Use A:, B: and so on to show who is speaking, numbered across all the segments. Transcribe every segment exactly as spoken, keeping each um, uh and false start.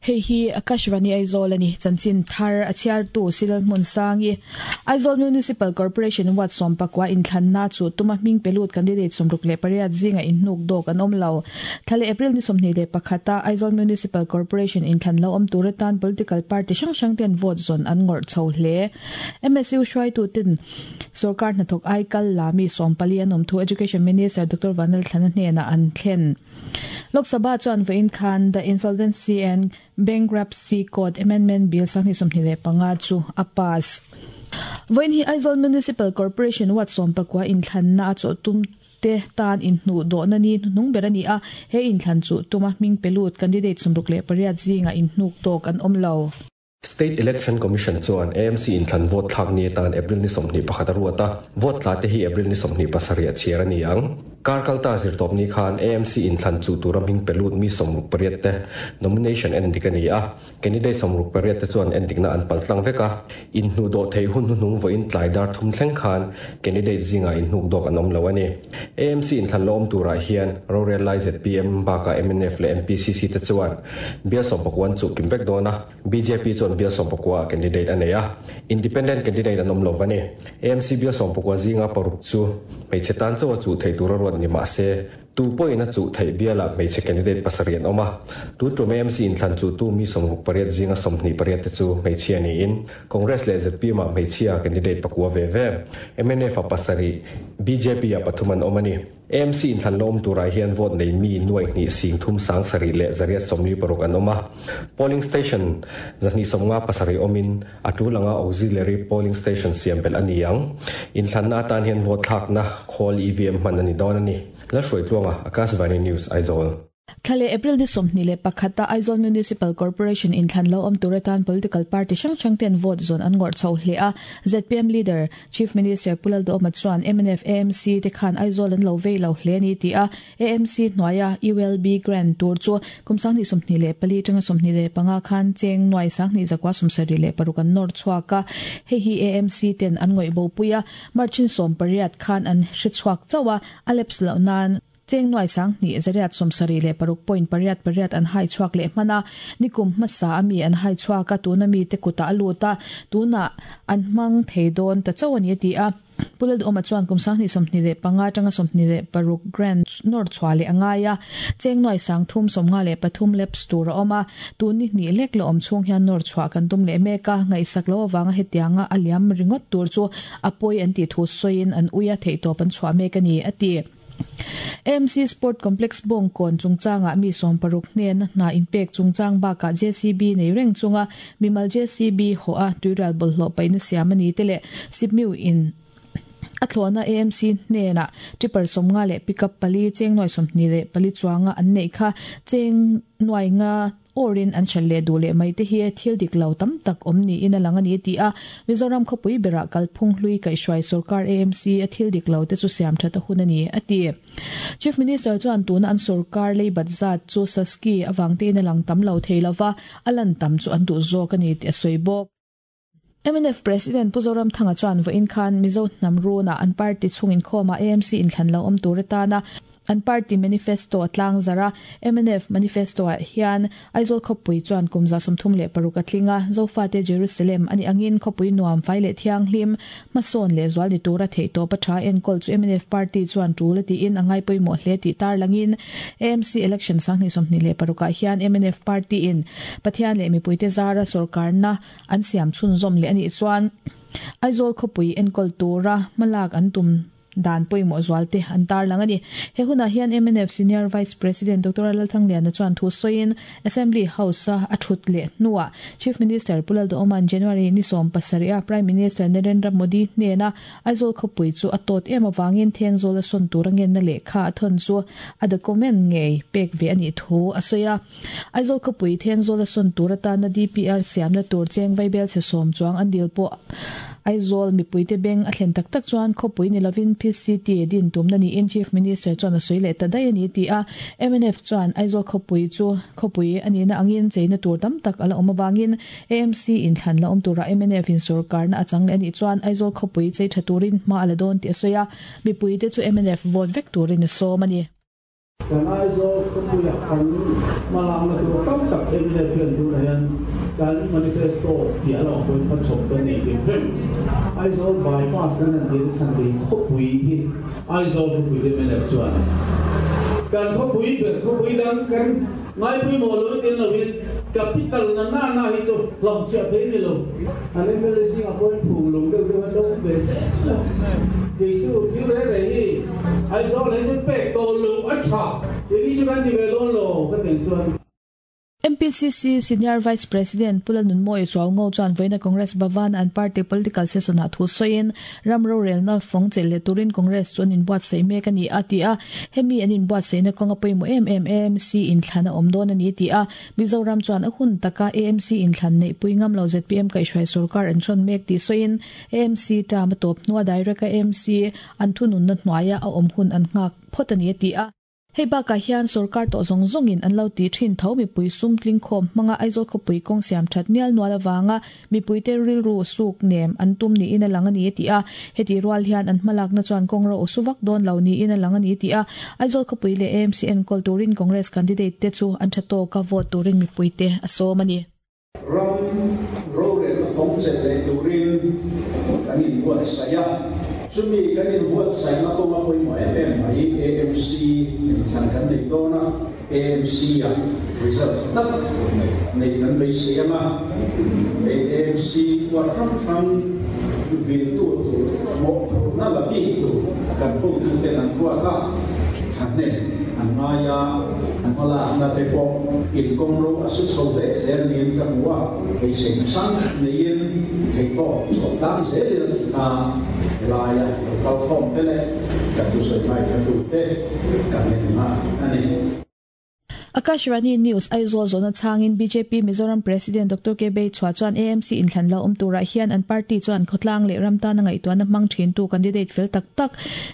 A: Hei hi Akashvani Aizawl ani chanchin thar a chhiar tu Silal hmun sangi Aizawl Municipal Corporation wat som pakwa in thlanna chu tuma hming pelut candidate somruk le pariat zinga in hnuk dok an awm lo thale April ni somni le pakhata Aizawl Municipal Corporation in thlan lo awm turatan political party hrang hrang ten vote zon an ngor chho hle M S U hruai tu tin sarkar hnathawk aikal lami sompali an awm thu Education Minister Doctor Vanal Thlana hnena an thlen Lok Sabha chuan vein khan the Insolvency and Bankruptcy Code Amendment Bill sangni somni le panga chu a pass. Voin hi Aizawl Municipal Corporation wat som pakwa in thlanna a chaw tum te tan in hnu do na ni nung berani a he in thlan chu tuma hming pelut candidate somruk le pariat zinga in hnuk tok an awm lo.
B: State Election Commission chuan A M C in thlan vote thlak ni tan April ni somni pakhat ruata vote tla te hi April ni somni pasariah chiar ani ang karkalta zir top ni khan A M C in thlan chu turam hing pelut mi somruk pariat te nomination en dikani a candidate somruk pariat te chuan en dikna an paltlang veka in hnu do thei hun hnung vo in tlaidar thum thleng khan candidate zinga in hnuk dok anom lo ani A M C in thlan lom tura hian Royal Lai Z P M baka M N F le M P C C te chuan bia som pakwan chu kimbek dona B J P chuan bia som pakwa candidate aneya independent candidate anom lo vani A M C bia som pakwa zinga paruk chu hmeichhe tan chawa chu thei tura ruat ni ma se tu poina chu thei biala hmeichhe candidate pasarian oma tu tum A M C in thlan chu tu mi somruk pariat zinga somhni pariat te chu hmeichhia ni in Congress le Z P ma hmeichhia candidate pakwa ve ve M N F a pasari B J P a pathuman omani A M C in thlan lom tura hian vote nei mi nuai ni sing thum sang sari le zaria somni paruk an oma polling station zani somnga pasari omin atulanga auxiliary polling station siam bel ani ang in thlan na tan hian vote thak na khol E V M man ani don ani la hroi tluanga Akashvani News Aizawl.
A: Thale April ni somni le pakhata Aizawl Municipal Corporation in thlan lo awm turatan political party hrang hrang ten vote zon an ngor chho hle a Z P M leader Chief Minister Pulal Do Oma chuan M N F A M C te khan Aizawl an lo vei lo hle ni ti a A M C hnuaia U L B grant tur chu kumsang ni somni le pali tanga somni le panga khan cheng nuai sang ni zakwa somsari le parukan nor chhuaka he hi A M C ten an ngoi bo puia marchin som pariat khan an hri chhuak chawa aleps lo nan cheng nuai sang ni zariat somsari le paruk point pariat pariat an hai chuak le mana nikum masa ami an hai chuaka tuna mi te kuta aluta tuna an mang theidon ta chawani ti a Pulal oma chuan kum sang ni somni le panga tanga somni le paruk grand nor chwale angaya cheng noi sang thum somnga le pathum leps tur oma tuni ni lek lo om chung hian nor chwa kan tum le meka ngai sak lo wanga hetianga aliam ringot tur chu apoi an ti thu soin an uya thei to pan chwa meka ni ati A M C Sport Complex bong kon chungchanga mi som paruk hnen na inpek chungchang baka J C B nei reng chunga mimal J C B ho a tuiral bol hlo paina siamani tele sipmiu in athlona A M C hnena tipper somnga le pickup pali cheng noi somni le pali chuanga an nei kha cheng nuai nga orin an challe dule mai te hi thil dik lo tam tak omni in alanga ni ti a Mizoram khopui bera kalphung hlui kai hruai sarkar A M C a thil dik lo te chu siam thata hunani ati Chief Minister chuan tuna an sarkar lei batzat chu saski awang te in alang tam lo theilawa alan tam chu an du zo ka ni ti soibok M N F President Puzoram Thanga chuan vo in khan Mizo Namruna an party chungin khoma A M C in thlan lo om turetana an party manifesto atlang zara M N F manifesto a hian Aizawl khopui chuan kumza somthum le paruk atlinga zofate Jerusalem ani angin khopui nuam fai le thiang hlim mason le zwal ni tura thei to patha en kol chu M N F party chuan tul ti in angai poimo hle ti tar langin A M C election sangni somni le paruka hian M N F party in pathian le mi puite zara sarkar na an siam chun zom le ani chuan Aizawl khopui en kol tura malak an tum dan poimo zualte an tar langani he huna hian M N F Senior Vice President Doctor Lalthangliana chuan thu soin Assembly House a thut le nuwa Chief Minister Pulal Do Oman January ni som pasaria Prime Minister Narendra Modi hnena Aizawl khopui chu atot em awangin Thenzawl a son turangen na le kha thon chu a document ngei pek ve ani thu asoya Aizawl khopui Thenzawl a son turata na D P R siam na tur cheng vaibel che som chuang an dil po Aizawl mipuite beng a thlen tak tak chuan khopui ni lovin P C T din tum na ni in Chief Minister chuan a soi le ta dai ani ti a M N F chuan Aizawl khopui chu khopui ani na angin cheina tur tam tak ala awm awangin A M C in thlan la awm tura M N F in sarkar na achang le ani chuan Aizawl khopui chei tha turin hma ala dawn ti a soya mipuite chu M N F vote vek turin a sawm ani.
C: Kan Aizawl khawpuia kan hmalak na tur tam tak M N F hian tunah hian kan manifesto tih a lo pawhin kha chhawp kan nei hrim hrim. Aizawl bypass kan han tir chhan te hi khawpui hi Aizawl khawpui hi M N F chuan kan khawpui ber, khawpui dang kan ngaipawimawh lo tin lovin capital na na na hi chu hlamchhiah thei ni lo. An M L A zingah pawhin phung lung deuh deuh an lo awm ve zel a. Kei chu thil re re hi Aizawl hi chu pek tawh lo a tha keini chu kan ti ve dawn lo ka teng chuan.
A: M P C C Senior Vice President Pu Lalnunmawia Chuaungo chuan vawiina Congress Bhavan an party political session ah thu sawiin ram rorelna fawng chelh leh turin Congress chu an inbuatsaih mek a ni a ti a. Hemi an inbuatsaihna kawnga pawimawh em em A M C inthlan a awm dawn a ni ti a. Mizoram chuan a hun taka A M C inthlan neih pui ngam lo Z P M kaihhruai sorkar an hrawn mek tih sawiin A M C term a tawp hnua direct a A M C an thununna hnuaia a awm hun an nghak phawt a ni a ti a. Hei bakah hian sorkar tawh zawng zawngin an lo ti thin tho mipui sum tling khawm hmanga Aizawl khawpui kawng siam that nial nual awanga mipuite rilru suk nem an tum niin a lang a ni a ti a. Heti rual hian an hmalakna chuan kawng ro suvak dawn lo niin a lang a ni ti a. Aizawl khawpui leh A M C enkawl turin Congress candidate te chu an tha tawka vote turin mipuite a sawm a ni.
D: Ram rorelna fawng chelh leh turin kan inbuatsaih a, chumi kan inbuatsaihna kawnga pawimawh em em mai A M C inthlan kan nei dawn a. A M C a result tak nei kan beisei anga, A M C huat hrang hrang viltu tur mawhphurhna la bik tur kan hotuten an ruat a, thahnem an ngai a, an hmalakna te pawh inkawng ro a su chho hle zel niin ka hmu a. Beiseina sang neiin theihtawp chhuah tlang zelin a tih kha helaia lo kal khawm te leh ka thusawi ngaithla te ka ngenna a ni.
A: Akashvani News Aizawl zona changin B J P Mizoram President Doctor K Beichhua chuan A M C inthlan lo awm turah hian an party chuan khawtlang leh ram tana ngaihtuahna hmang thin tu candidate fel tak tak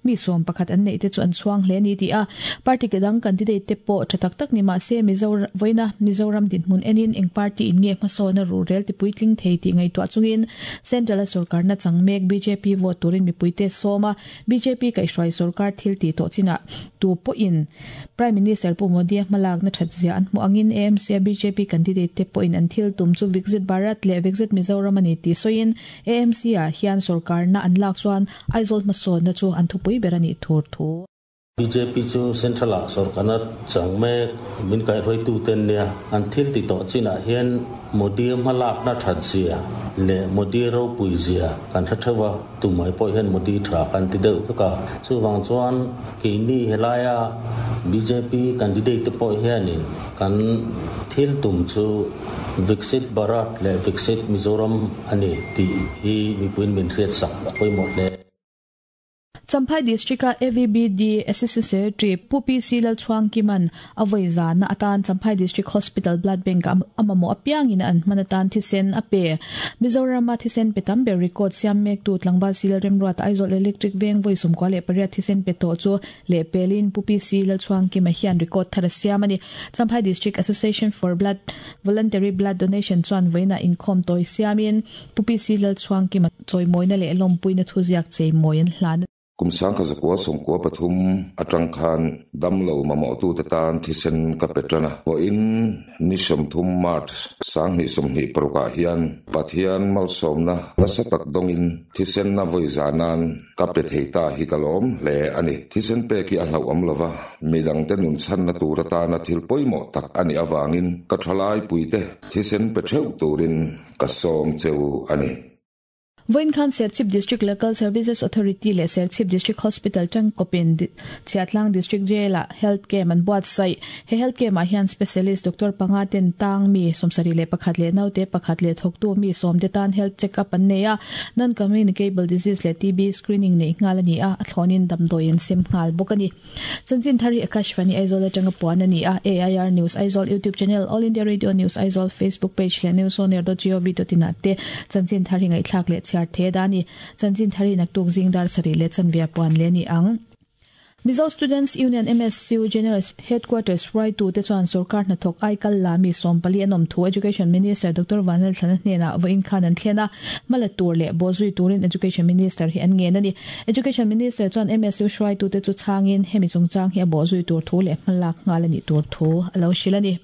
A: mi sawm pakhat an neih te chu an chhuang hle ni ti a. Party kedang candidate te pawh tha tak tak ni mah se Mizoram voina Mizoram dinhmun enin eng party in nge hmasawna rurel ti puitling thei ti ngaihtuah chungin Central sorkar na chang mek B J P vote turin mipuite sawma. B J P kaihhruai sorkar thil ti tawh china tu pawhin Prime Minister Pu Modi hmalak na that zia an hmu angin A M C B J P candidate te pawhin an thil tum chu Viksit Bharat leh Viksit Mizoram ani ti sawiin A M C ah hian sorkar na an lak chuan Aizawl hmasawn na chu an thupui ber ani thur thu.
E: B J P chu central a sorkarna chang mek min kai hroi tu ten nia an thil ti tawh chinah hian Modi hmalak na that zia le Modi ro pui zia kan tha thawa tumai pawh hian Modi tha kan ti deuh veka. Chuwang chuan keini helaya B J P candidate te pawh hianin kan thil tum chu Viksit Bharat le Viksit Mizoram ani ti hi mipuin min hriat sak a pawimawh hle.
A: Champhai District a A V B D Assistant Secretary Pu P C Lalchhuang Kiman avoi zana atan Champhai District Hospital Blood Bank amamo apiangin an manatan thisen ape. Mizoram thisen petam ber record siam mek tu tlangwal sil remruat Aizawl Electric Veng voi sumkwa le pariat thisen pe to chu le pelin Pu P C Lalchhuang Kima hian record thar siam ani. Champhai District Association for Blood Voluntary Blood Donation chuan voina inkhawm toi siamin Pu P C Lalchhuang Kima choi moina le lompuina thuziak chei moin hlan.
F: Kum sangkha zakua sawmkua pathum atang khan damlo mamawh tu te tan thisen ka pe tan a. Vawiin ni sawmthum March sanghnih sawmhnih parukah hian Pathian malsawmna nasa tak dawngin thisen na vawi zanan ka pe thei ta hi ka lawm hle ani. Thisen pek hi a hlauh awm lova, midang te nun chhanna tur atana thil pawimawh tak ani awangin ka thalai puite thisen pe theuh turin ka sawm cheu ani.
A: Voin khan Serchhip District Local Services Authority le Serchhip District Hospital tangkopin Chhiahtlang District Jail a health camp an buatsaih. He health camp ah hian specialist doctor panga ten tang mi sawmsarih leh pakhat leh naute pakhat leh thawktu mi sawm te tan health check up an nei a. Non communicable disease leh T B screening nei nghal ani a, a thlawnin damdawi an sem nghal bawk ani. Chanchin thari Akashvani Aizawl atanga puan ani a. A I R News Aizawl YouTube channel, All India Radio News Aizawl Facebook page leh newsonair dot gov dot in te chanchin thari ngaihthlak leh chhiar the dani. Chanchin thari naktuk zingdar sari le chanvia puan le ni ang. Mizo Students Union M S U General Headquarters hruaitu te chuan sorkar hnathawk aikal la mi sawmpali an awm thu Education Minister Doctor Vanlalthlana hnenah vawiin khan an thlen a, hmala tur leh bawhzui turin Education Minister hi an ngen a ni. Education Minister chuan M S U hruaitu te chu changin hemi chungchang hi a bawhzui tur thu leh hmalak nghal a nih tur thu a lo hrilh a ni.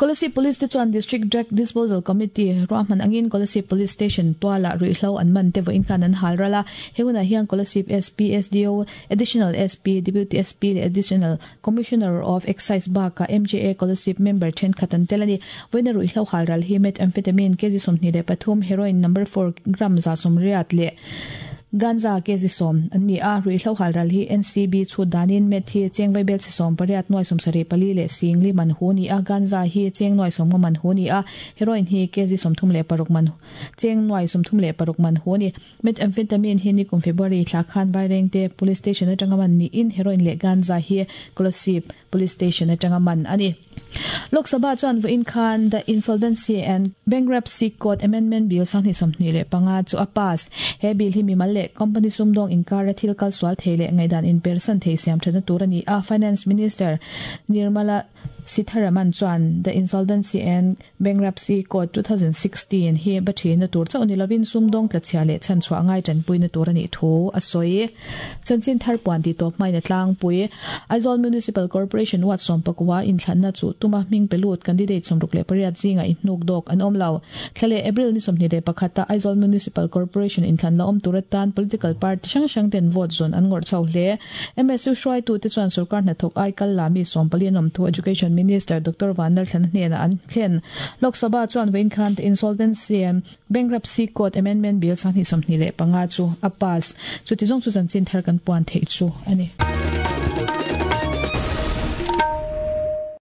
A: Kolasib Police te chuan District Drug Disposal Committee ruahman angin Kolasib Police Station tuala ruihhlo an man te vawiin khan an hal ral a. He hunah hian Kolasib S P, S D O, Additional S P, Deputy S P leh Additional Commissioner of Excise bakah M J A Kolasib member thenkhat an tel a ni. Vawiina ruihhlo hal ral hi methamphetamine kg sawmhnih leh pathum, heroin number four gram za sawmriat leh ganja kg sawm an ni a. Ruihhlo hal ral hi N C B chhut danin met hi cheng vaibel che sawm pariat nuai sawm sarih pali leh sing li man hu ni a. Ganja hi cheng nuai sawm nga man hu ni a. Heroin hi kg sawmthum leh paruk man cheng nuai sawmthum leh paruk man hu ni. Methamphetamine hi nikum February thla khan Vairengte Police Station atanga man niin heroin leh ganja hi Kolasib Police Station atanga man ani. Lok Sabha chuan vawiin khan The Insolvency and Bankruptcy Code Amendment Bill sanghnih sawmhnih leh panga chu a pass. He bill hi mimal leh company sumdawng inkar a thil kal sual thei leh ngaidan in persan thei siam thana tur ani a. Finance Minister Nirmala Sitharaman chuan The Insolvency and Bankruptcy Code twenty sixteen hi bathina tur chaw ni lovin sumdawng tlachhia leh chan chhuah ngai tanpuina tur ani thu a sawi. Chanchin thar puan ti tawp hmaina tlangpui Aizawl Municipal Corporation ward sawmpakua inthlanna chu tuma hming pelut candidate sawmruk leh pariat zinga inhnuk dawk an awm lo. Thlale April ni sawmhnih leh pakhata Aizawl Municipal Corporation inthlan la awm tur atan political party hrang hrang ten vote zawn an ngawrh chho hle. M S U hruaitu te chuan sorkar hnathawk aikal la mi sawmpali an awm thu Education Minister Doctor Vanlalthlana hnenah an thlen. Lok Sabha chuan vawiin khan The Insolvency and Bankruptcy Code Amendment Bill sanghnih sawmhnih leh panga chu a pass. Chuti zawng chu chanchin thar kan puan theih chu ani.